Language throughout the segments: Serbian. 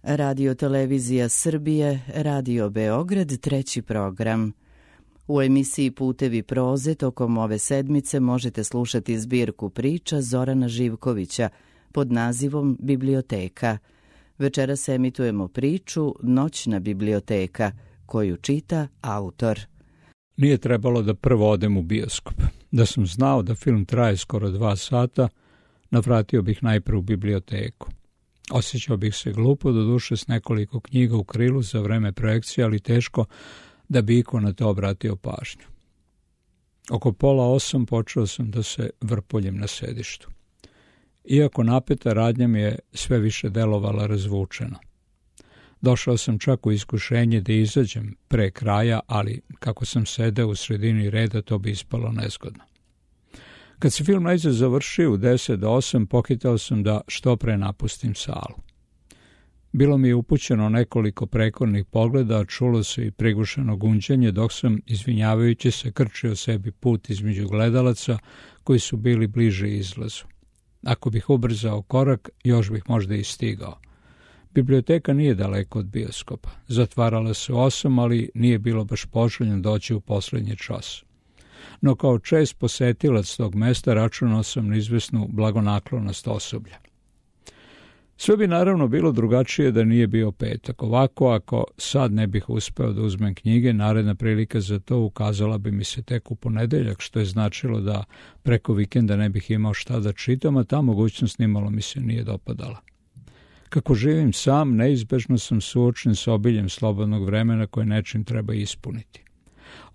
Radio Televizija Srbije, Radio Beograd, treći program. U emisiji Putevi proze tokom ove sedmice možete slušati zbirku priča Zorana Živkovića pod nazivom Biblioteka. Večeras emitujemo priču Noćna biblioteka, koju čita autor. Nije trebalo da prvo odem u bioskop. Da sam znao da film traje skoro 2 sata, navratio bih najprije u biblioteku. Osjećao bih se glupo, doduše s nekoliko knjiga u krilu za vreme projekcije, ali teško da bi iko na to obratio pažnju. Oko 7:30 počeo sam da se vrpoljem na sedištu. Iako napeta radnja mi je sve više delovala razvučeno. Došao sam čak u iskušenje da izađem pre kraja, ali kako sam sedeo u sredini reda, to bi ispalo nezgodno. Kad se film najzad završio u 7:50, pohitao sam da što pre napustim salu. Bilo mi je upućeno nekoliko prekornih pogleda, a čulo se i prigušeno gunđanje, dok sam, izvinjavajući se, krčio sebi put između gledalaca koji su bili bliže izlazu. Ako bih ubrzao korak, još bih možda i stigao. Biblioteka nije daleko od bioskopa. Zatvarala se u 8, ali nije bilo baš poželjno doći u poslednji čas. No kao čest posetilac tog mesta računao sam na izvesnu blagonaklonost osoblja. Sve bi naravno bilo drugačije da nije bio petak. Ovako, ako sad ne bih uspeo da uzmem knjige, naredna prilika za to ukazala bi mi se tek u ponedeljak, što je značilo da preko vikenda ne bih imao šta da čitam, a ta mogućnost nimalo mi se nije dopadala. Kako živim sam, neizbežno sam suočen s obiljem slobodnog vremena koje nečim treba ispuniti.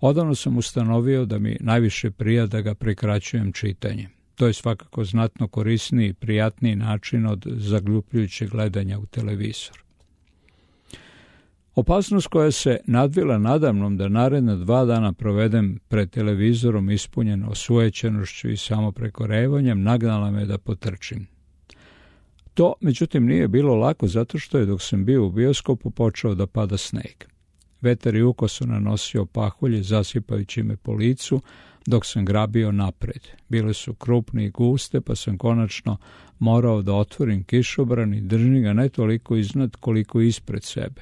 Odavno sam ustanovio da mi najviše prija da ga prekraćujem čitanjem. To je svakako znatno korisniji i prijatniji način od zagljupljujućeg gledanja u televizor. Opasnost koja se nadvila nadamnom da naredna 2 dana provedem pred televizorom ispunjen osujećenošću i samoprekorevanjem nagnala me da potrčim. To, međutim, nije bilo lako zato što je dok sam bio u bioskopu počeo da pada sneg. Vetar je ukoso nanosio pahulje zasipajući me po licu dok sam grabio napred. Bile su krupne i guste, pa sam konačno morao da otvorim kišobran i držim ga ne toliko iznad koliko ispred sebe.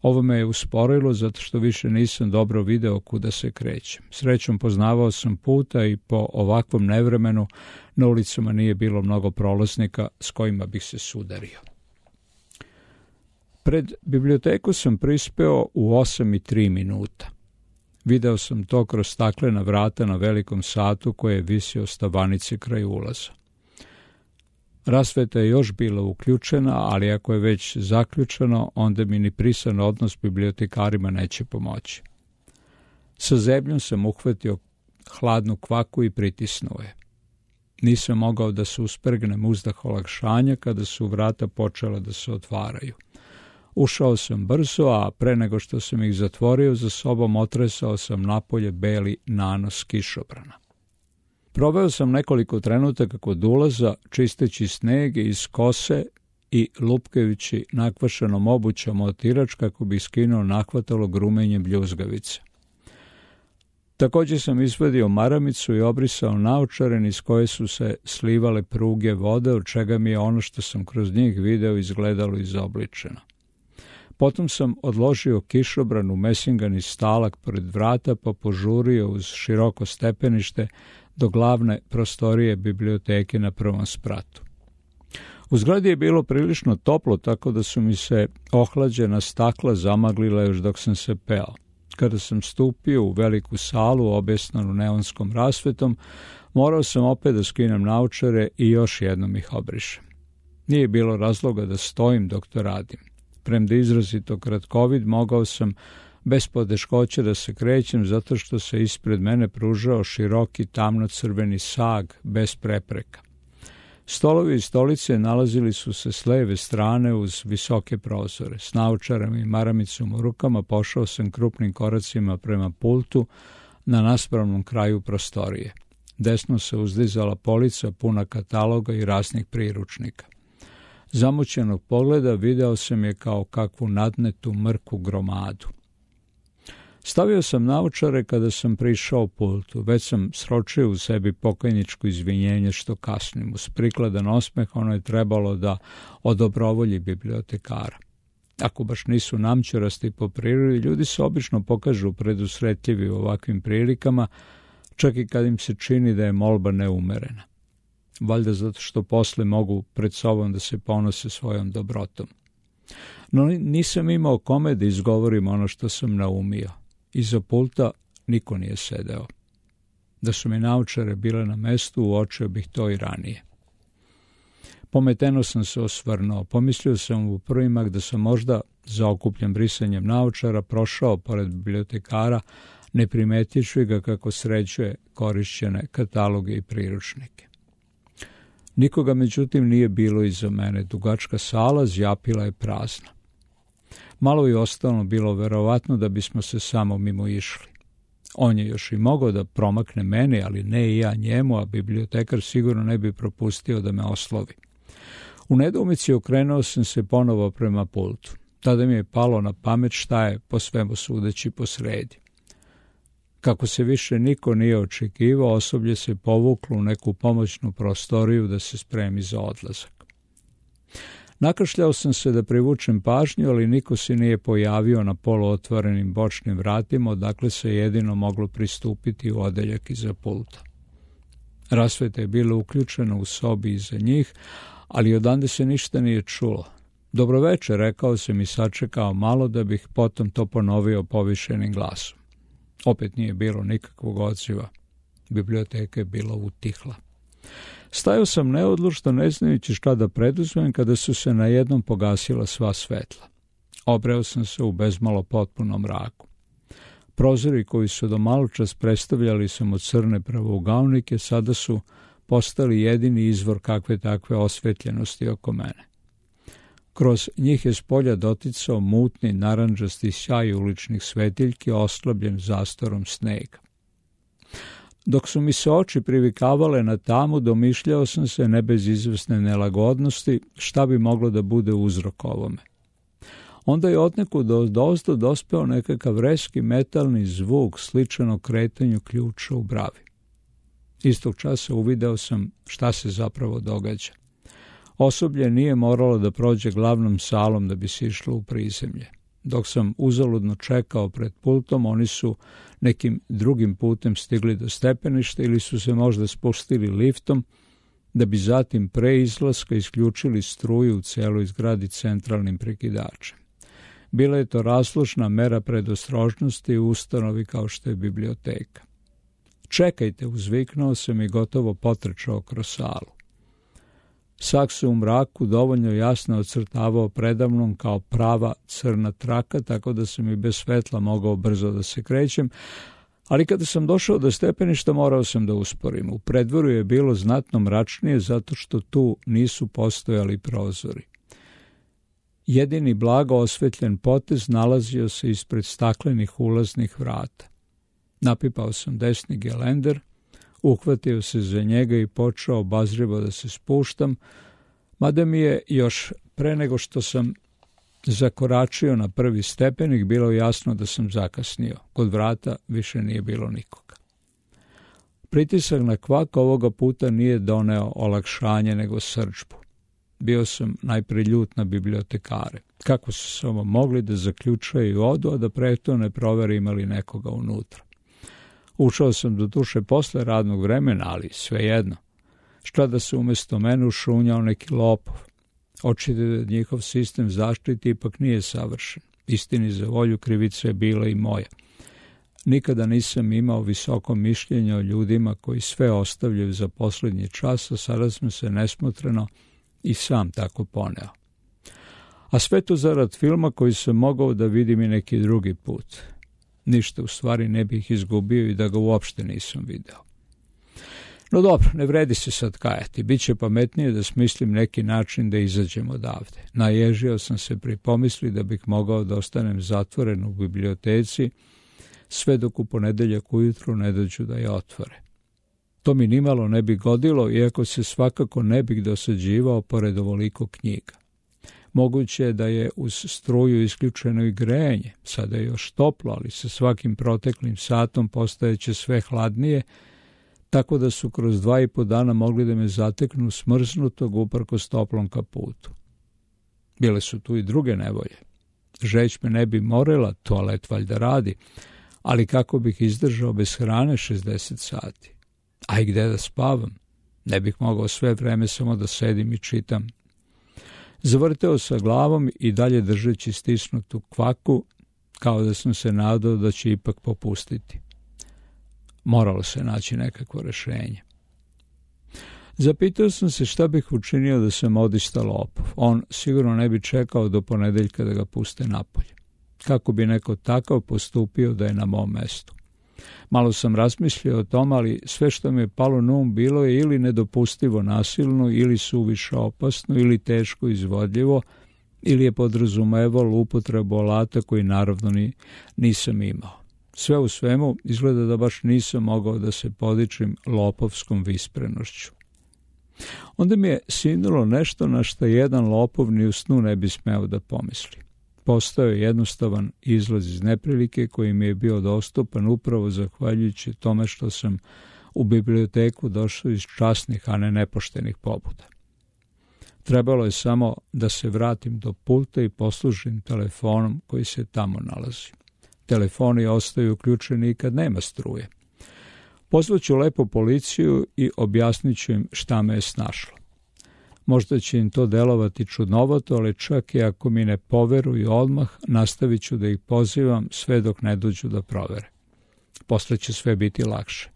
Ovo me je usporilo zato što više nisam dobro video kuda se krećem. Srećom poznavao sam puta i po ovakvom nevremenu na ulicama nije bilo mnogo prolaznika s kojima bih se sudario. Pred biblioteku sam prispeo u 8:03. Video sam to kroz staklena vrata na velikom satu koje je visio stavanice kraj ulaza. Rasveta je još bila uključena, ali ako je već zaključeno, onda mi ni prisan odnos s bibliotekarima neće pomoći. Sa zebljom sam uhvatio hladnu kvaku i pritisnuo je. Nisam mogao da se uspregnem uzdah olakšanja kada su vrata počela da se otvaraju. Ušao sam brzo, a pre nego što sam ih zatvorio za sobom otresao sam napolje beli nanos kišobrana. Proveo sam nekoliko trenutaka kod ulaza, čisteći sneg iz kose i lupkajući nakvašenom obućom otirač kako bi skinuo nahvatalo grumenje bljuzgavice. Također sam izvadio maramicu i obrisao naočare niz koje su se slivale pruge vode, od čega mi je ono što sam kroz njih video izgledalo izobličeno. Potom sam odložio kišobran u mesingani stalak pored vrata pa požurio uz široko stepenište do glavne prostorije biblioteke na prvom spratu. U zgradi je bilo prilično toplo, tako da su mi se ohlađena stakla zamaglila još dok sam se peo. Kada sam stupio u veliku salu objesnanu neonskom rasvetom, morao sam opet da skinem naočare i još jednom ih obrišem. Nije bilo razloga da stojim dok to radim. Premda izrazito kratkovid, mogao sam bez poteškoće da se krećem zato što se ispred mene pružao široki tamno-crveni sag bez prepreka. Stolovi i stolice nalazili su se s leve strane uz visoke prozore. S naočarama i maramicom u rukama pošao sam krupnim koracima prema pultu na naspravnom kraju prostorije. Desno se uzdizala polica puna kataloga i raznih priručnika. Zamućenog pogleda video sam je kao kakvu nadnetu mrku gromadu. Stavio sam naočare kada sam prišao pultu. Već sam sročio u sebi pokajničko izvinjenje što kasnim. Uz prikladan osmeh ono je trebalo da odobrovolji bibliotekara. Ako baš nisu namćurasti po prirodi, ljudi se obično pokažu predusretljivi u ovakvim prilikama, čak i kad im se čini da je molba neumerena. Valjda zato što posle mogu pred sobom da se ponose svojom dobrotom. No nisam imao kome da izgovorim ono što sam naumio. Iza pulta niko nije sedeo. Da su mi naočare bile na mestu, uočio bih to i ranije. Pometeno sam se osvrnuo. Pomislio sam u prvi mah da sam možda, zaokupljen brisanjem naočara, prošao pored bibliotekara, ne primetivši ga kako sređuje korišćene kataloge i priručnike. Nikoga, međutim, nije bilo iza mene. Dugačka sala zjapila je prazna. Malo je ostalo bilo verovatno da bismo se samo mimo išli. On je još i mogao da promakne mene, ali ne i ja njemu, a bibliotekar sigurno ne bi propustio da me oslovi. U nedoumici okrenuo sam se ponovo prema pultu. Tada mi je palo na pamet šta je po svemu sudeći posredi. Kako se više niko nije očekivao, osoblje se povuklo u neku pomoćnu prostoriju da se spremi za odlazak. Nakašljao sam se da privučem pažnju, ali niko se nije pojavio na poluotvorenim bočnim vratima, odakle se jedino moglo pristupiti u odeljak iza pulta. Rasveta je bila uključena u sobi iza njih, ali odande se ništa nije čulo. Dobroveče, rekao sam i sačekao malo da bih potom to ponovio povišenim glasom. Opet nije bilo nikakvog odziva. Biblioteka je bila utihla. Stajao sam neodlučno, ne znajući šta da preduzmem, kada su se najednom pogasila sva svetla. Obreo sam se u bezmalo potpunom mraku. Prozori koji su do maločas predstavljali samo crne pravougaonike, sada su postali jedini izvor kakve takve osvetljenosti oko mene. Kroz njih je spolja doticao mutni, narandžasti sjaj uličnih svetiljki, oslabljen zastorom snega. Dok su mi se oči privikavale na tamu, domišljao sam se, ne bez izvesne nelagodnosti, šta bi moglo da bude uzrok ovome. Onda je odnekud odozdo dospeo nekakav reski metalni zvuk sličan kretanju ključa u bravi. Istog časa uvideo sam šta se zapravo događa. Osoblje nije moralo da prođe glavnom salom da bi se išlo u prizemlje. Dok sam uzaludno čekao pred pultom, oni su nekim drugim putem stigli do stepeništa ili su se možda spustili liftom, da bi zatim pre izlaska isključili struju u celoj zgradi centralnim prekidačem. Bila je to razložna mera predostrožnosti u ustanovi kao što je biblioteka. Čekajte, uzviknuo sam i gotovo potrčao kroz salu. Sak se u mraku dovoljno jasno ocrtavao predamnom kao prava crna traka, tako da sam i bez svetla mogao brzo da se krećem, ali kada sam došao do stepeništa morao sam da usporim. U predvoru je bilo znatno mračnije zato što tu nisu postojali prozori. Jedini blago osvetljen potez nalazio se ispred staklenih ulaznih vrata. Napipao sam desni gelender, uhvatio se za njega i počeo obazrivo da se spuštam, mada mi je još pre nego što sam zakoračio na prvi stepenik bilo jasno da sam zakasnio. Kod vrata više nije bilo nikoga. Pritisak na kvak ovoga puta nije doneo olakšanje nego srdžbu. Bio sam najpre ljut na bibliotekare. Kako su samo mogli da zaključaju i odu, a da pre to ne provere imali nekoga unutra. Ušao sam do duše posle radnog vremena, ali svejedno. Šta da se umjesto mene ušunjao neki lopov. Očito da njihov sistem zaštite ipak nije savršen. Istini za volju, krivica je bila i moja. Nikada nisam imao visoko mišljenje o ljudima koji sve ostavljaju za posljednji čas, a sada sam se nesmotreno i sam tako poneo. A sve to zarad filma koji sam mogao da vidim i neki drugi put. Ništa u stvari ne bih izgubio i da ga uopšte nisam video. No dobro, ne vredi se sad kajati. Biće pametnije da smislim neki način da izađem odavde. Naježio sam se pri pomisli da bih mogao da ostanem zatvoren u biblioteci sve dok u ponedeljak ujutru ne dođu da je otvore. To mi nimalo ne bi godilo, iako se svakako ne bih dosađivao pored ovoliko knjiga. Moguće je da je uz struju isključeno i grejanje. Sada je još toplo, ali sa svakim proteklim satom postajeće sve hladnije, tako da su kroz 2,5 dana mogli da me zateknu smrznutog uprkos toplom kaputu. Bile su tu i druge nevolje. Žeć me ne bi morila, toalet valjda radi, ali kako bih izdržao bez hrane 60 sati? A i gde da spavam? Ne bih mogao sve vreme samo da sedim i čitam. Zavrteo sa glavom i dalje držeći stisnutu kvaku, kao da sam se nadao da će ipak popustiti. Moralo se naći nekakvo rešenje. Zapitao sam se šta bih učinio da sam odista lopov. On sigurno ne bi čekao do ponedeljka da ga puste napolje. Kako bi neko takav postupio da je na mom mestu? Malo sam razmislio o tom, ali sve što mi je palo na um bilo je ili nedopustivo nasilno, ili suviše opasno, ili teško izvodljivo, ili je podrazumevalo upotrebu alata koji naravno nisam imao. Sve u svemu izgleda da baš nisam mogao da se podičim lopovskom visprenošću. Onda mi je sinulo nešto na što jedan lopov ni u snu ne bi smeo da pomisli. Postao je jednostavan izlaz iz neprilike koji mi je bio dostupan upravo zahvaljujući tome što sam u biblioteku došao iz časnih, a ne nepoštenih pobuda. Trebalo je samo da se vratim do pulta i poslužim telefonom koji se tamo nalazi. Telefoni ostaju uključeni i kad nema struje. Pozvaću lepo policiju i objasnit ću im šta me je snašlo. Možda će im to delovati čudnovato, ali čak i ako mi ne poveruju odmah, nastavit ću da ih pozivam sve dok ne dođu da provere. Posle će sve biti lakše.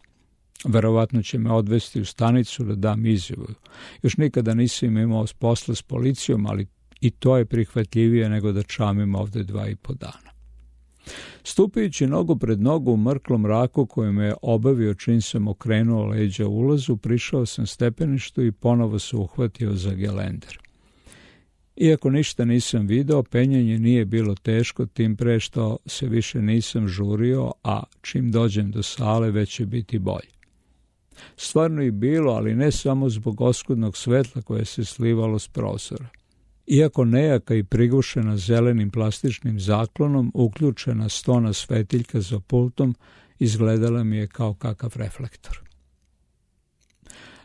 Verovatno će me odvesti u stanicu da dam izjavu. Još nikada nisam imao posla s policijom, ali i to je prihvatljivije nego da čamim ovde 2,5 dana. Stupajući nogu pred nogu u mrklom mraku koji me je obavio čim sam okrenuo leđa ulazu, prišao sam stepeništu i ponovo se uhvatio za gelender. Iako ništa nisam video, penjanje nije bilo teško, tim pre što se više nisam žurio, a čim dođem do sale već će biti bolje. Stvarno i bilo, ali ne samo zbog oskudnog svetla koje se slivalo s prozora. Iako nejaka i prigušena zelenim plastičnim zaklonom, uključena stona svetiljka za pultom izgledala mi je kao kakav reflektor.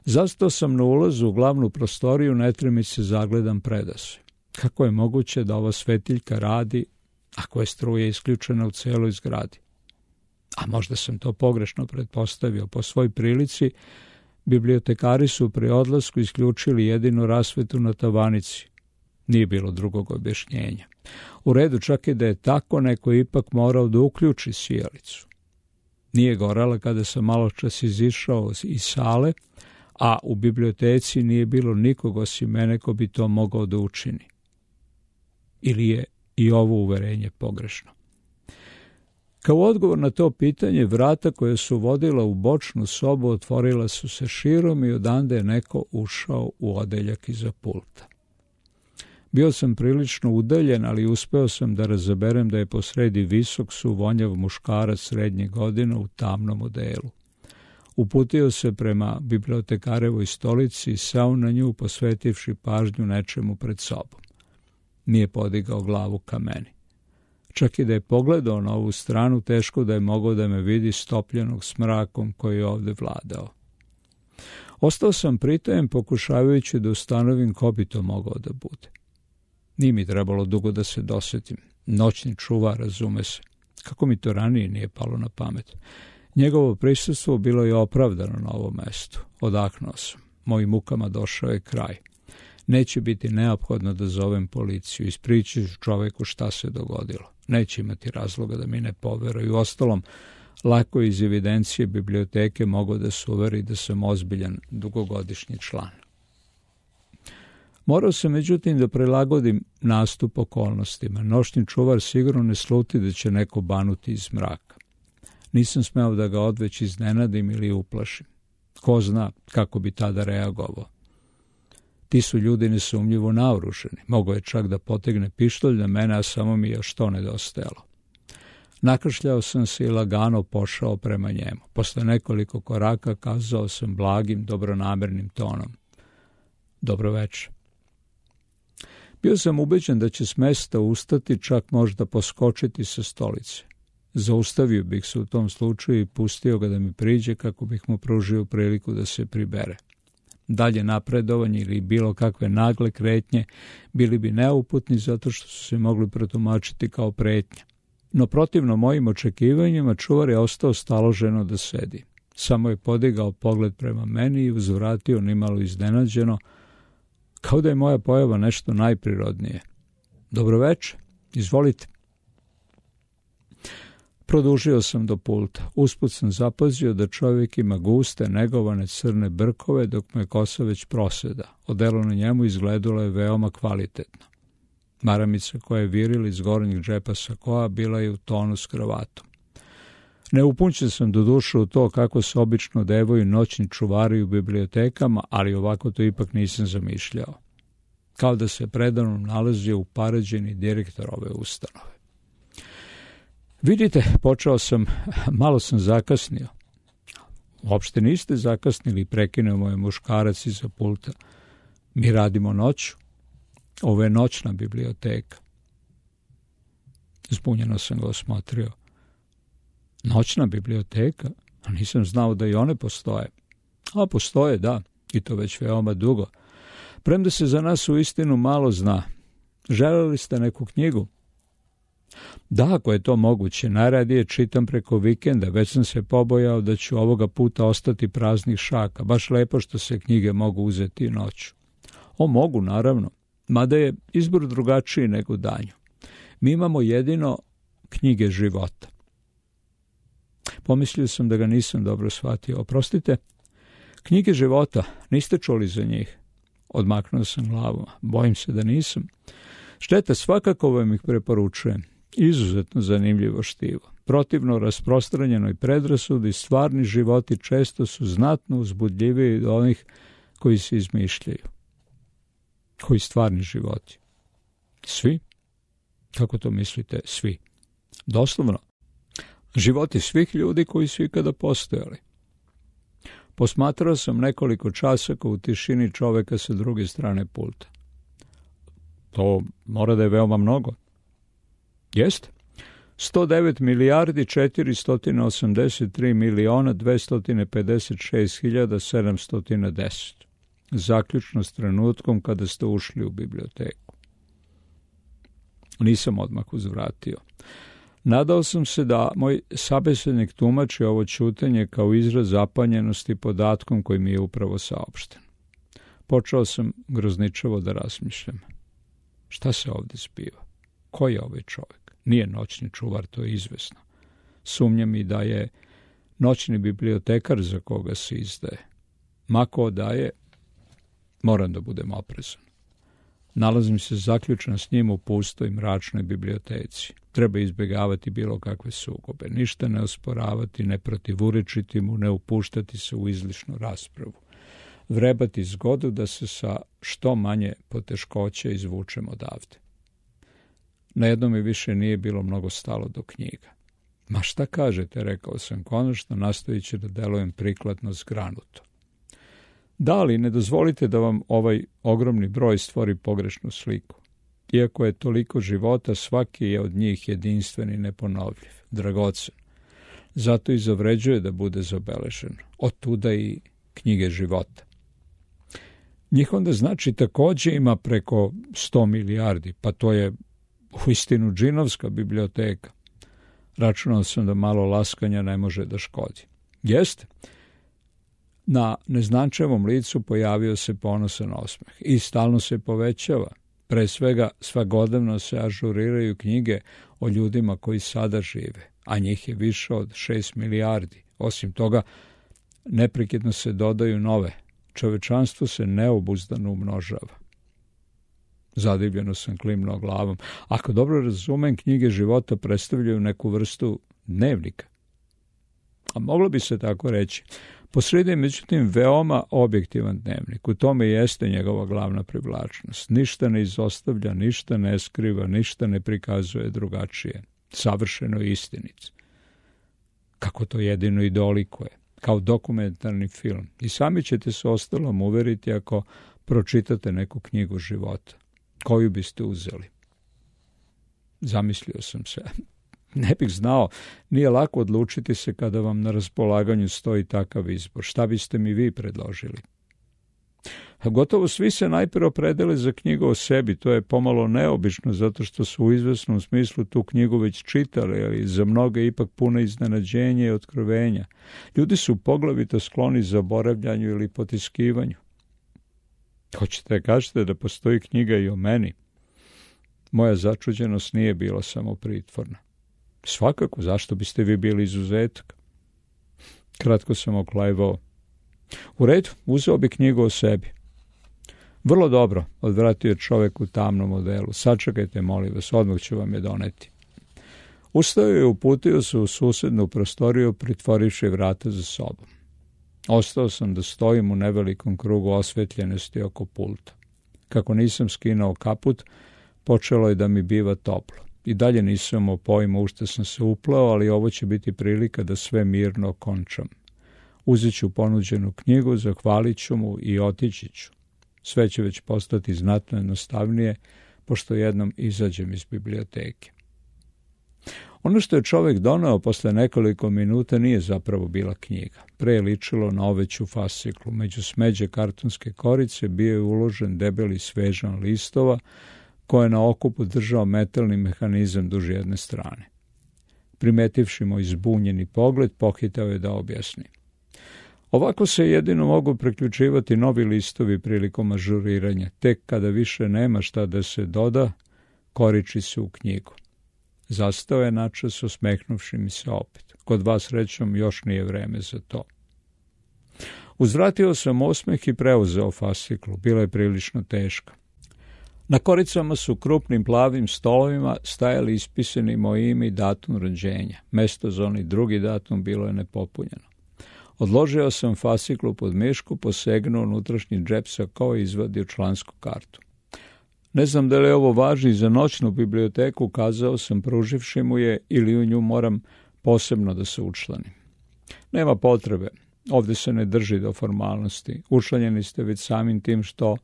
Zastao sam na ulazu u glavnu prostoriju, netremice zagledam predase. Kako je moguće da ova svetiljka radi ako je struja isključena u celoj zgradi? A možda sam to pogrešno pretpostavio. Po svoj prilici, bibliotekari su pri odlasku isključili jedinu rasvetu na tavanici. Nije bilo drugog objašnjenja. U redu, čak i da je tako, neko je ipak morao da uključi sijalicu. Nije gorela kada sam maločas izišao iz sale, a u biblioteci nije bilo nikog osim mene ko bi to mogao da učini. Ili je i ovo uverenje pogrešno? Kao odgovor na to pitanje, vrata koja su vodila u bočnu sobu otvorila su se širom i odande je neko ušao u odeljak iza pulta. Bio sam prilično udaljen, ali uspeo sam da razaberem da je posredi visok, suvonjav muškarac srednje godine u tamnom odelu. Uputio se prema bibliotekarevoj stolici i seo na nju, posvetivši pažnju nečemu pred sobom. Nije podigao glavu ka meni. Čak i da je pogledao na ovu stranu, teško da je mogao da me vidi stopljenog s mrakom koji je ovde vladao. Ostao sam pritajem, pokušavajući da ustanovim ko bi to mogao da bude. Nije mi trebalo dugo da se dosetim. Noćni čuvar, razume se. Kako mi to ranije nije palo na pamet? Njegovo prisustvo bilo je opravdano na ovom mestu. Odahnuo sam. Mojim mukama došao je kraj. Neće biti neophodno da zovem policiju. Ispričat ću čoveku šta se dogodilo. Neće imati razloga da mi ne poveruju. Ostalom, lako iz evidencije biblioteke mogu da se uveri da sam ozbiljan dugogodišnji član. Morao sam međutim da prilagodim nastup okolnostima. Noćni čuvar sigurno ne sluti da će neko banuti iz mraka. Nisam smeo da ga odveć iznenadim ili uplašim. Ko zna kako bi tada reagovao. Ti su ljudi nesumnjivo naoruženi. Mogao je čak da potegne pištolj na mene, a samo mi je još to nedostajalo. Nakršljao sam se i lagano pošao prema njemu. Posle nekoliko koraka kazao sam blagim, dobronamernim tonom. Dobro večer. Bio sam ubeđen da će s mesta ustati, čak možda poskočiti sa stolice. Zaustavio bih se u tom slučaju i pustio ga da mi priđe kako bih mu pružio priliku da se pribere. Dalje napredovanje ili bilo kakve nagle kretnje bili bi neuputni zato što su se mogli protumačiti kao pretnja. No protivno mojim očekivanjima čuvar je ostao staloženo da sedi. Samo je podigao pogled prema meni i uzvratio nimalo iznenađeno, kao da je moja pojava nešto najprirodnije. Dobroveče, izvolite. Produžio sam do pulta. Usput sam zapazio da čovjek ima guste, negovane crne brkove, dok mu je kosa već proseda. Odelo na njemu izgledalo je veoma kvalitetno. Maramica koja je virila iz gornjeg džepa sakoa bila je u tonu s kravatom. Neupućen sam do duše u to kako se obično devaju noćni čuvari u bibliotekama, ali ovako to ipak nisam zamišljao. Kao da se predavnom nalazio upaređeni direktor ove ustanove. Vidite, počeo sam, malo sam zakasnio. Uopšte niste zakasnili, prekinuo moj muškarac iza pulta. Mi radimo noću. Ovo je noćna biblioteka. Zbunjeno sam ga osmotrio. Noćna biblioteka? A nisam znao da i one postoje. A postoje, da, i to već veoma dugo. Premda se za nas uistinu malo zna. Želeli ste neku knjigu? Da, ako je to moguće, najradije čitam preko vikenda, već sam se pobojao da ću ovoga puta ostati praznih šaka, baš lepo što se knjige mogu uzeti noću. O, mogu, naravno, mada je izbor drugačiji nego danju. Mi imamo jedino knjige života. Pomislio sam da ga nisam dobro shvatio. Oprostite, knjige života, niste čuli za njih? Odmaknuo sam glavu. Bojim se da nisam. Šteta, svakako vam ih preporučujem. Izuzetno zanimljivo štivo. Protivno rasprostranjenoj predrasudi, stvarni životi često su znatno uzbudljiviji od onih koji se izmišljaju. Koji stvarni životi? Svi? Kako to mislite, svi? Doslovno, životi svih ljudi koji su ikada postojali. Posmatrao sam nekoliko časaka u tišini čoveka sa druge strane pulta. To mora da je veoma mnogo. Jeste? 109 milijardi 483 miliona 256 hiljada 710. Zaključno s trenutkom kada ste ušli u biblioteku. Nisam odmah uzvratio. Nadao sam se da moj sabesednik tumači ovo ćutanje kao izraz zapanjenosti podatkom koji mi je upravo saopšten. Počeo sam grozničavo da razmišljam. Šta se ovdje zbiva? Ko je ovaj čovjek? Nije noćni čuvar, to je izvesno. Sumnjam i da je noćni bibliotekar za koga se izdaje. Mako daje, moram da budem oprezan. Nalazim se zaključan s njim u pustoj mračnoj biblioteci. Treba izbjegavati bilo kakve sukobe, ništa ne osporavati, ne protivurečiti mu, ne upuštati se u izlišnu raspravu. Vrebati zgodu da se sa što manje poteškoća izvučemo odavde. Na jednom mi više nije bilo mnogo stalo do knjiga. Ma šta kažete, rekao sam konačno, nastojići da delujem prikladno zgranuto. Da, ali ne dozvolite da vam ovaj ogromni broj stvori pogrešnu sliku. Iako je toliko života, svaki je od njih jedinstven i neponovljiv, dragocen. Zato i zavređuje da bude zabeležen. Otuda i knjige života. Njih onda znači također ima preko 100 milijardi, pa to je uistinu džinovska biblioteka. Računao sam da malo laskanja ne može da škodi. Jeste? Na neznančevom licu pojavio se ponosan osmeh i stalno se povećava. Pre svega svakodnevno se ažuriraju knjige o ljudima koji sada žive, a njih je više od 6 milijardi. Osim toga, neprekidno se dodaju nove. Čovečanstvo se neobuzdano umnožava. Zadivljeno sam klimnuo glavom. Ako dobro razumem, knjige života predstavljaju neku vrstu dnevnika. A moglo bi se tako reći. Posrijedi je međutim veoma objektivan dnevnik. U tome jeste njegova glavna privlačnost. Ništa ne izostavlja, ništa ne skriva, ništa ne prikazuje drugačije. Savršeno istinit. Kako to jedino i dolikuje. Kao dokumentarni film. I sami ćete se ostalom uveriti ako pročitate neku knjigu života. Koju biste uzeli? Zamislio sam se. Ne bih znao, nije lako odlučiti se kada vam na raspolaganju stoji takav izbor. Šta biste mi vi predložili? Gotovo svi se najprije opredele za knjigu o sebi. To je pomalo neobično, zato što su u izvesnom smislu tu knjigu već čitali, ali za mnoge ipak puno iznenađenja i otkrovenja. Ljudi su poglavito skloni zaboravljanju ili potiskivanju. Hoćete kažete da postoji knjiga i o meni? Moja začuđenost nije bila samo pritvorna. Svakako, zašto biste vi bili izuzetak? Kratko sam oklajvao. U redu, uzeo bi knjigu o sebi. Vrlo dobro, odvratio je čovjek u tamnom odelu. Sačekajte, molim vas, odmah ću vam je doneti. Ustao je i uputio se u susednu prostoriju, pritvorivši vrata za sobom. Ostao sam da stojim u nevelikom krugu osvetljenosti oko pulta. Kako nisam skinuo kaput, počelo je da mi biva toplo. I dalje nisam imao pojma u što sam se uplao, ali ovo će biti prilika da sve mirno okončam. Uzet ću ponuđenu knjigu, zahvalit ću mu i otići ću. Sve će već postati znatno jednostavnije, pošto jednom izađem iz biblioteke. Ono što je čovjek doneo posle nekoliko minuta nije zapravo bila knjiga. Pre je ličilo na oveću fasciklu. Među smeđe kartonske korice bio je uložen debeli svežan listova, koje je na okupu držao metalni mehanizam duž jedne strane. Primetivši moj zbunjeni pogled, pohitao je da objasni. Ovako se jedino mogu priključivati novi listovi prilikom ažuriranja. Tek kada više nema šta da se doda, koriči se u knjigu. Zastao je načas, osmehnuvši mi se opet. Kod vas, srećom, još nije vreme za to. Uzvratio sam osmeh i preuzeo fasciklu. Bila je prilično teška. Na koricama su krupnim plavim stolovima stajali ispisani moje ime i datum rođenja. Mesto za onaj drugi datum bilo je nepopunjeno. Odložio sam fasciklu pod mišku, posegnuo unutrašnji džep sakao i izvadio člansku kartu. Ne znam da li ovo važi za noćnu biblioteku, kazao sam pruživši mu je, ili u nju moram posebno da se učlanim. Nema potrebe, ovdje se ne drži do formalnosti. Učlanjeni ste već samim tim što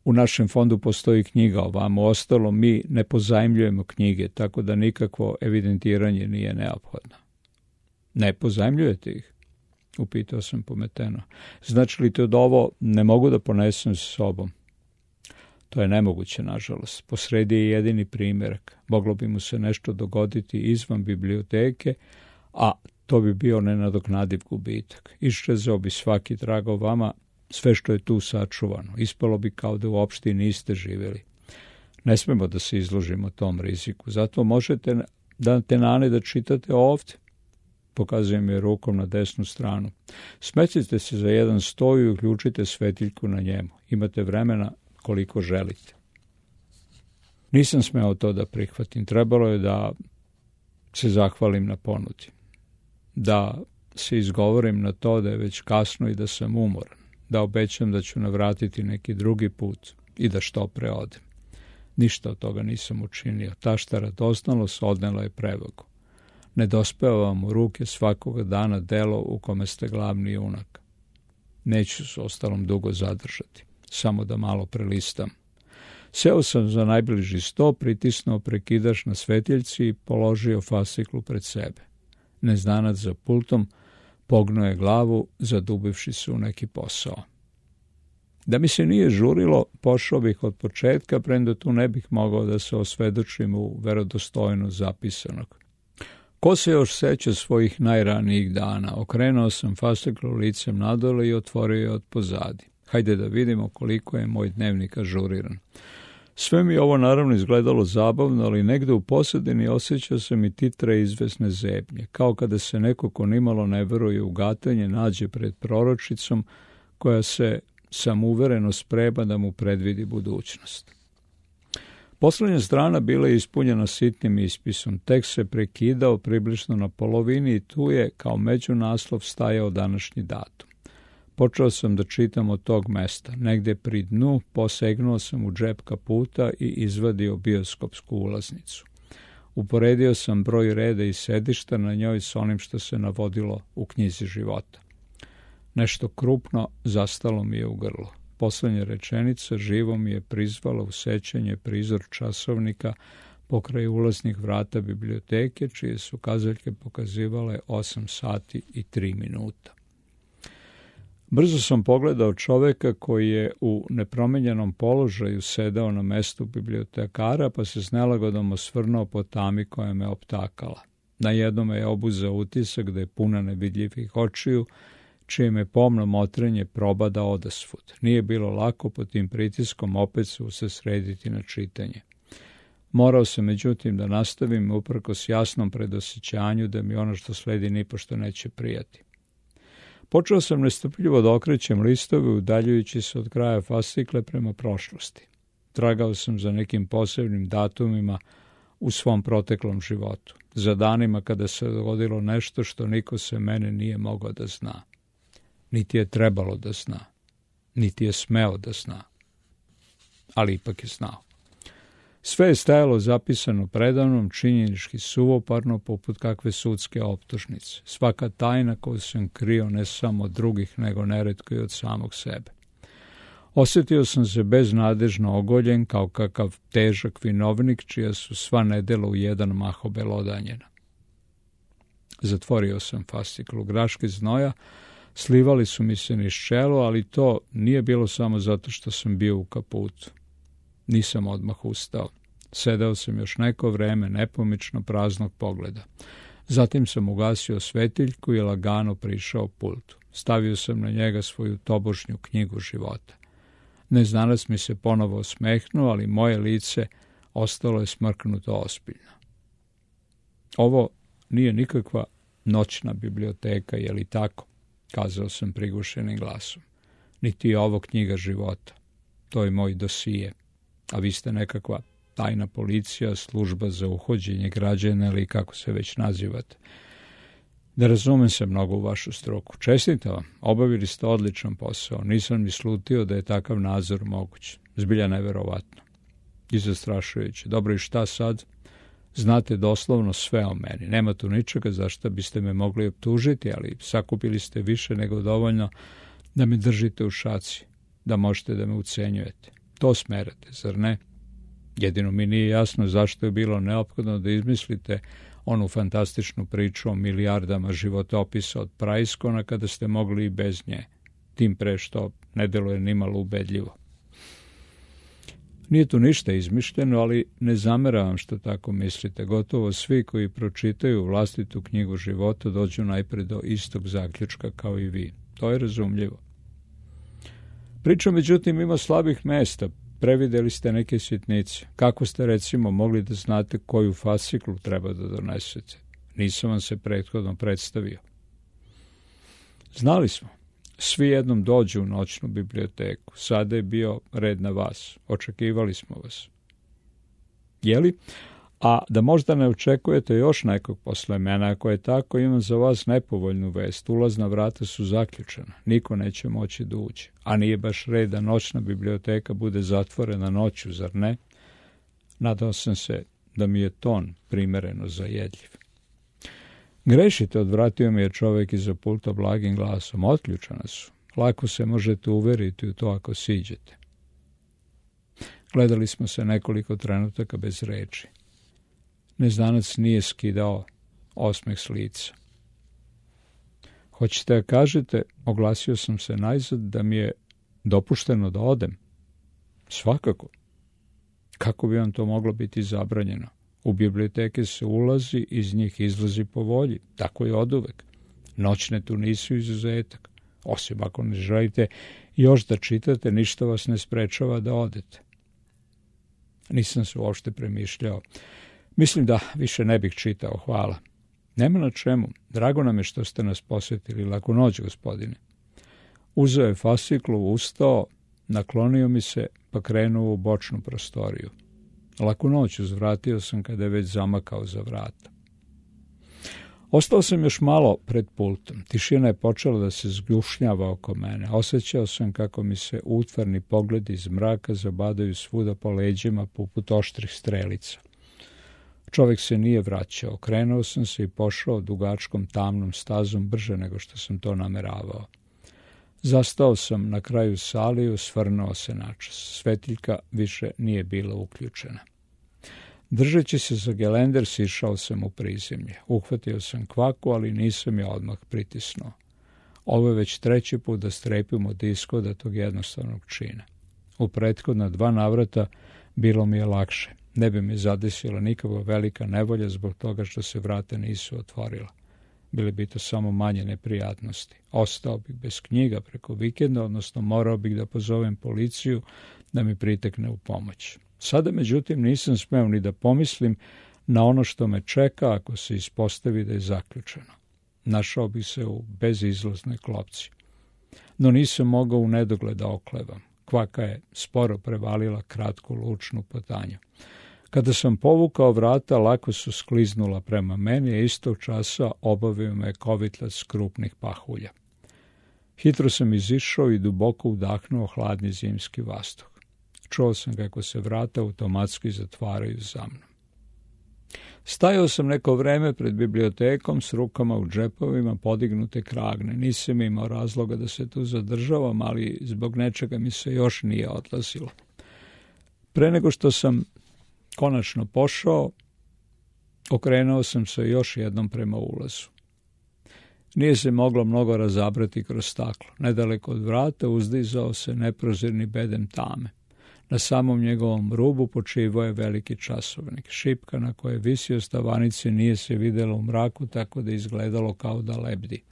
u našem fondu postoji knjiga o vama. Ostalo mi ne pozajmljujemo knjige, tako da nikakvo evidentiranje nije neophodno. Ne pozajmljujete ih? Upitao sam pometeno. Znači li to da ovo ne mogu da ponesem sa sobom? To je nemoguće, nažalost. Posredi je jedini primjerak. Moglo bi mu se nešto dogoditi izvan biblioteke, a to bi bio nenadoknadiv gubitak. Iščezao bi svaki trag o vama, sve što je tu sačuvano. Ispalo bi kao da uopšte niste živjeli. Ne smemo da se izložimo tom riziku. Zato možete dati nane da čitate ovdje. Pokazujem je rukom na desnu stranu. Smetite se za jedan stoj i uključite svetiljku na njemu. Imate vremena koliko želite. Nisam smeo to da prihvatim. Trebalo je da se zahvalim na ponudi. Da se izgovorim na to da je već kasno i da sam umoran. Da obećam da ću navratiti neki drugi put i da što pre odem. Ništa od toga nisam učinio. Tašta radosnalost odnela je prevagu. Ne dospeva vam u ruke svakoga dana delo u kome ste glavni junak. Neću s ostalom dugo zadržati, samo da malo prelistam. Seo sam za najbliži sto, pritisnuo prekidač na svetiljci i položio fasciklu pred sebe. Neznanac za pultom pognuo je glavu, zadubivši se u neki posao. Da mi se nije žurilo, pošao bih od početka, premda tu ne bih mogao da se osvedočim u verodostojnost zapisanog. Ko se još seća svojih najranijih dana? Okrenuo sam fasciklu licem nadole i otvorio je od pozadi. Hajde da vidimo koliko je moj dnevnik ažuriran. Sve mi ovo naravno izgledalo zabavno, ali negde u pozadini osjećao sam i titre izvesne zebnje, kao kada se neko ko nimalo ne veruje u gatanje nađe pred proročicom koja se samouvereno sprema da mu predvidi budućnost. Poslednja strana bila je ispunjena sitnim ispisom. Tekst se prekidao približno na polovini i tu je kao međunaslov stajao današnji datum. Počeo sam da čitam od tog mesta. Negde pri dnu posegnuo sam u džep kaputa i izvadio bioskopsku ulaznicu. Uporedio sam broj reda i sedišta na njoj s onim što se navodilo u knjizi života. Nešto krupno zastalo mi je u grlu. Poslednja rečenica živo mi je prizvala u sećanje prizor časovnika pokraj ulaznih vrata biblioteke, čije su kazaljke pokazivale 8 sati i 3 minuta. Brzo sam pogledao čoveka koji je u nepromenjenom položaju sedao na mestu bibliotekara, pa se s nelagodom osvrnuo po tami koja me optakala. Na jednom je obuzeo utisak da je puna nevidljivih očiju, čije me pomno motrenje probada odasvud. Nije bilo lako pod tim pritiskom opet se usredsrediti na čitanje. Morao sam međutim da nastavim uprkos jasnom predosjećanju da mi ono što sledi nipošto neće prijati. Počeo sam nestrpljivo da okrećem listove udaljujući se od kraja fascikle prema prošlosti. Tragao sam za nekim posebnim datumima u svom proteklom životu, za danima kada se dogodilo nešto što niko se mene nije mogao da zna. Niti je trebalo da zna, niti je smeo da zna, ali ipak je znao. Sve je stajalo zapisano predavnom, činjenički suvoparno, poput kakve sudske optužnice. Svaka tajna koju sam krio ne samo od drugih, nego neretko i od samog sebe. Osjetio sam se beznadežno ogoljen kao kakav težak vinovnik, čija su sva nedela u jedan mah obelodanjena. Zatvorio sam fasciklu. Graške znoja slivali su mi se niz čelo, ali to nije bilo samo zato što sam bio u kaputu. Nisam odmah ustao. Sedeo sam još neko vreme nepomično praznog pogleda. Zatim sam ugasio svetiljku i lagano prišao pultu. Stavio sam na njega svoju tobožnju knjigu života. Neznanac mi se ponovo osmehnuo, ali moje lice ostalo je smrknuto ozbiljno. Ovo nije nikakva noćna biblioteka, je li tako? Kazao sam prigušenim glasom. Niti je ovo knjiga života. To je moj dosije. A vi ste nekakva tajna policija, služba za uhođenje građana ili kako se već nazivate. Da razumem se mnogo u vašu struku. Čestitam vam, obavili ste odličan posao. Nisam ni slutio da je takav nadzor moguć. Zbilja neverovatno. I zastrašujuće. Dobro, i šta sad? Znate doslovno sve o meni. Nema tu ničega za što biste me mogli optužiti, ali sakupili ste više nego dovoljno da me držite u šaci, da možete da me ucenjujete. To smerate, zar ne? Jedino mi nije jasno zašto je bilo neophodno da izmislite onu fantastičnu priču o milijardama životopisa od Praiskona kada ste mogli i bez nje, tim pre što ne deluje nimalo ubedljivo. Nije tu ništa izmišljeno, ali ne zameravam što tako mislite. Gotovo svi koji pročitaju vlastitu knjigu života dođu najpre do istog zaključka kao i vi. To je razumljivo. Priča, međutim, ima slabih mesta. Prevideli ste neke sitnice. Kako ste, recimo, mogli da znate koju fasciklu treba da donesete? Nisam vam se prethodno predstavio. Znali smo. Svi jednom dođu u noćnu biblioteku. Sada je bio red na vas. Očekivali smo vas. Jeli? A da možda ne očekujete još nekog posle mene, ako je tako, imam za vas nepovoljnu vest. Ulazna vrata su zaključena. Niko neće moći da uđe. A nije baš red da noćna biblioteka bude zatvorena noću, zar ne? Nadao sam se da mi je ton primereno zajedljiv. Grešite, odvratio mi je čovjek iza pulta blagim glasom. Otključana su. Lako se možete uveriti u to ako siđete. Gledali smo se nekoliko trenutaka bez reči. Neznanac nije skidao osmeh s lica. Hoćete da kažete, oglasio sam se najzad, da mi je dopušteno da odem? Svakako. Kako bi vam to moglo biti zabranjeno? U biblioteke se ulazi, iz njih izlazi po volji. Tako je oduvek. Noćne tu nisu izuzetak. Osim ako ne želite još da čitate, ništa vas ne sprečava da odete. Nisam se uopšte premišljao. Mislim da više ne bih čitao, hvala. Nema na čemu. Drago nam je što ste nas posjetili. Laku noć, gospodine. Uzeo je fasciklu, ustao, naklonio mi se, pa krenuo u bočnu prostoriju. Laku noć, uzvratio sam kada je već zamakao za vrata. Ostao sam još malo pred pultom. Tišina je počela da se zgušnjava oko mene. Osjećao sam kako mi se utvarni pogledi iz mraka zabadaju svuda po leđima poput oštrih strelica. Čovjek se nije vraćao. Krenuo sam se i pošao dugačkom tamnom stazom brže nego što sam to nameravao. Zastao sam na kraju sale i osvrnuo se načas. Svetiljka više nije bila uključena. Držeći se za gelender, sišao sam u prizemlje. Uhvatio sam kvaku, ali nisam je odmah pritisnuo. Ovo je već treći put da strepim od ishoda tog jednostavnog čina. U prethodna 2 navrata bilo mi je lakše. Ne bi me zadesila nikakva velika nevolja zbog toga što se vrata nisu otvorila. Bile bi to samo manje neprijatnosti. Ostao bih bez knjiga preko vikenda, odnosno morao bih da pozovem policiju da mi pritekne u pomoć. Sada, međutim, nisam smeo ni da pomislim na ono što me čeka ako se ispostavi da je zaključeno. Našao bih se u bezizlaznoj klopci. No nisam mogao u nedogled da oklevam. Kvaka je sporo prevalila kratku lučnu potanju. Kada sam povukao vrata, lako su skliznula prema meni, a istog časa obavio me kovitlac krupnih pahulja. Hitro sam izišao i duboko udahnuo hladni zimski vazduh. Čuo sam kako se vrata automatski zatvaraju za mnom. Stajao sam neko vreme pred bibliotekom s rukama u džepovima podignute kragne. Nisam imao razloga da se tu zadržavam, ali zbog nečega mi se još nije odlazilo. Pre nego što sam konačno pošao, okrenuo sam se još jednom prema ulazu. Nije se moglo mnogo razabrati kroz staklo. Nedaleko od vrata uzdizao se neprozirni bedem tame. Na samom njegovom rubu počivao je veliki časovnik. Šipka na kojoj je visio stavanice nije se vidjela u mraku, tako da izgledalo kao da lebdi.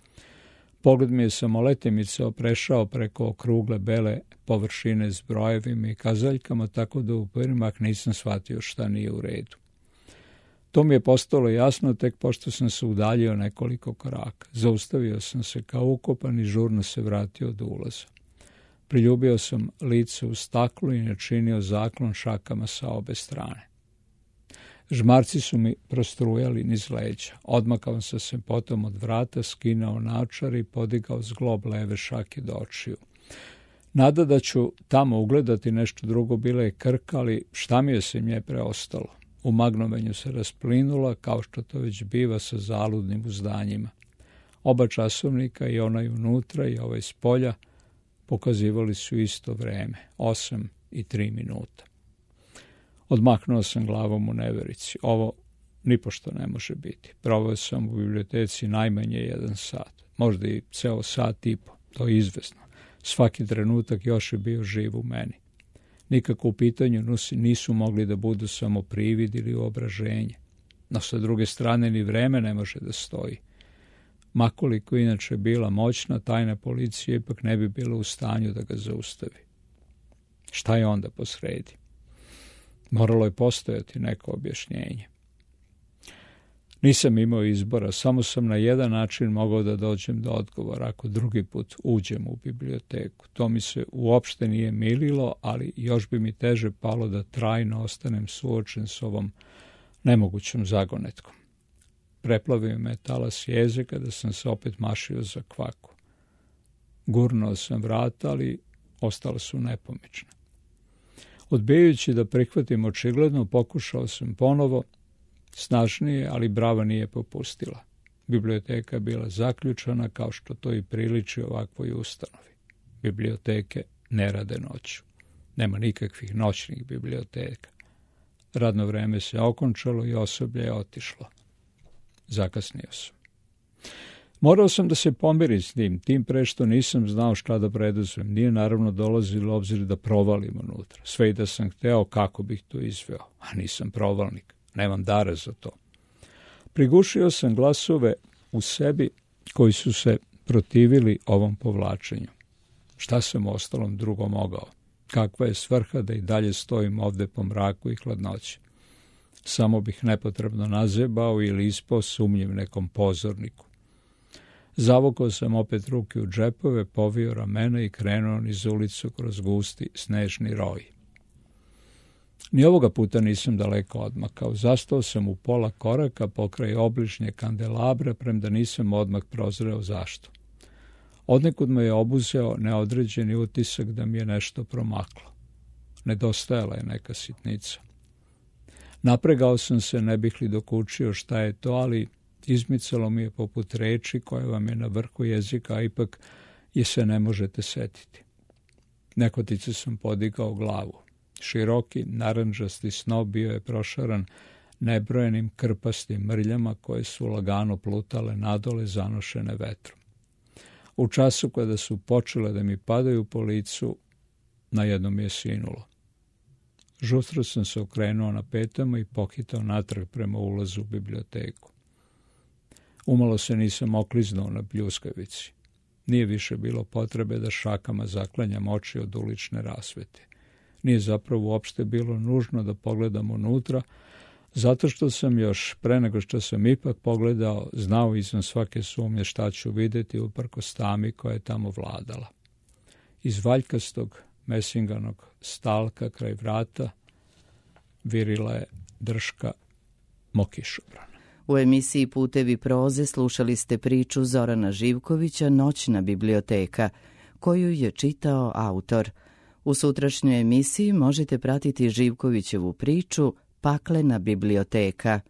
Pogled mi je samoletimice oprešao preko okrugle bele površine s brojevima i kazaljkama, tako da u prvi mah nisam shvatio šta nije u redu. To mi je postalo jasno tek pošto sam se udaljio nekoliko koraka. Zaustavio sam se kao ukopan i žurno se vratio do ulaza. Priljubio sam lice u staklu i načinio zaklon šakama sa obe strane. Žmarci su mi prostrujali niz leđa. Odmakao sam se potom od vrata, skinuo naočare i podigao zglob leve šake do očiju. Nada da ću tamo ugledati nešto drugo bila je krka, ali šta mi je se nje preostalo? U magnovanju se rasplinula, kao što to već biva sa zaludnim uzdanjima. Oba časovnika, i onaj unutra i ovaj s polja, pokazivali su isto vreme, 8:03. Odmahnuo sam glavom u neverici. Ovo nipošto ne može biti. Proveo sam u biblioteci najmanje 1 sat, možda i ceo sat i po, to je izvesno. Svaki trenutak još je bio živ u meni. Nikako u pitanju nisu mogli da budu samo privid ili uobraženje. No sa druge strane ni vreme ne može da stoji. Makoliko inače bila moćna, tajna policija ipak ne bi bila u stanju da ga zaustavi. Šta je onda posredi? Moralo je postojati neko objašnjenje. Nisam imao izbora, samo sam na jedan način mogao da dođem do odgovora ako drugi put uđem u biblioteku. To mi se uopšte nije mililo, ali još bi mi teže palo da trajno ostanem suočen s ovom nemogućom zagonetkom. Preplavio me talas jeze kada sam se opet mašio za kvaku. Gurnuo sam vrata, ali ostala su nepomična. Odbijajući da prihvatim očigledno, pokušao sam ponovo, snažnije, ali brava nije popustila. Biblioteka je bila zaključana, kao što to i priliči ovakvoj ustanovi. Biblioteke ne rade noću. Nema nikakvih noćnih biblioteka. Radno vreme se okončalo i osoblje je otišlo. Zakasnio sam. Morao sam da se pomirim s tim pre što nisam znao šta da preduzmem. Nije naravno dolazilo u obzir da provalim unutra. Sve i da sam hteo kako bih to izveo, a nisam provalnik. Nemam dara za to. Prigušio sam glasove u sebi koji su se protivili ovom povlačenju. Šta sam ostalom drugo mogao? Kakva je svrha da i dalje stojim ovde po mraku i hladnoći? Samo bih nepotrebno nazebao ili ispao sumnjiv nekom pozorniku. Zavukao sam opet ruke u džepove, povio ramena i krenuo niz ulicu kroz gusti snežni roj. Ni ovoga puta nisam daleko odmakao. Zastao sam u pola koraka pokraj obližnje kandelabra, premda nisam odmah prozreo zašto. Odnekud me je obuzeo neodređeni utisak da mi je nešto promaklo. Nedostajala je neka sitnica. Napregao sam se, ne bih li dokučio šta je to, ali izmicalo mi je poput reči koja vam je na vrhu jezika, a ipak jer se ne možete setiti. Nehotice sam podigao glavu. Široki, narandžasti snop bio je prošaran nebrojenim krpastim mrljama koje su lagano plutale nadole zanošene vetrom. U času kada su počele da mi padaju po licu, na jednom mi je sinulo. Žustro sam se okrenuo na petama i pohitao natrag prema ulazu u biblioteku. Umalo se nisam okliznuo na pljuskavici. Nije više bilo potrebe da šakama zaklanjam oči od ulične rasvete. Nije zapravo uopšte bilo nužno da pogledam unutra, zato što sam još, pre nego što sam ipak pogledao, znao izvan svake sumnje šta ću vidjeti uprkos tami koja je tamo vladala. Iz valjkastog mesinganog stalka kraj vrata virila je drška mokišobrana. U emisiji Putevi proze slušali ste priču Zorana Živkovića Noćna biblioteka, koju je čitao autor. U sutrašnjoj emisiji možete pratiti Živkovićevu priču Paklena biblioteka.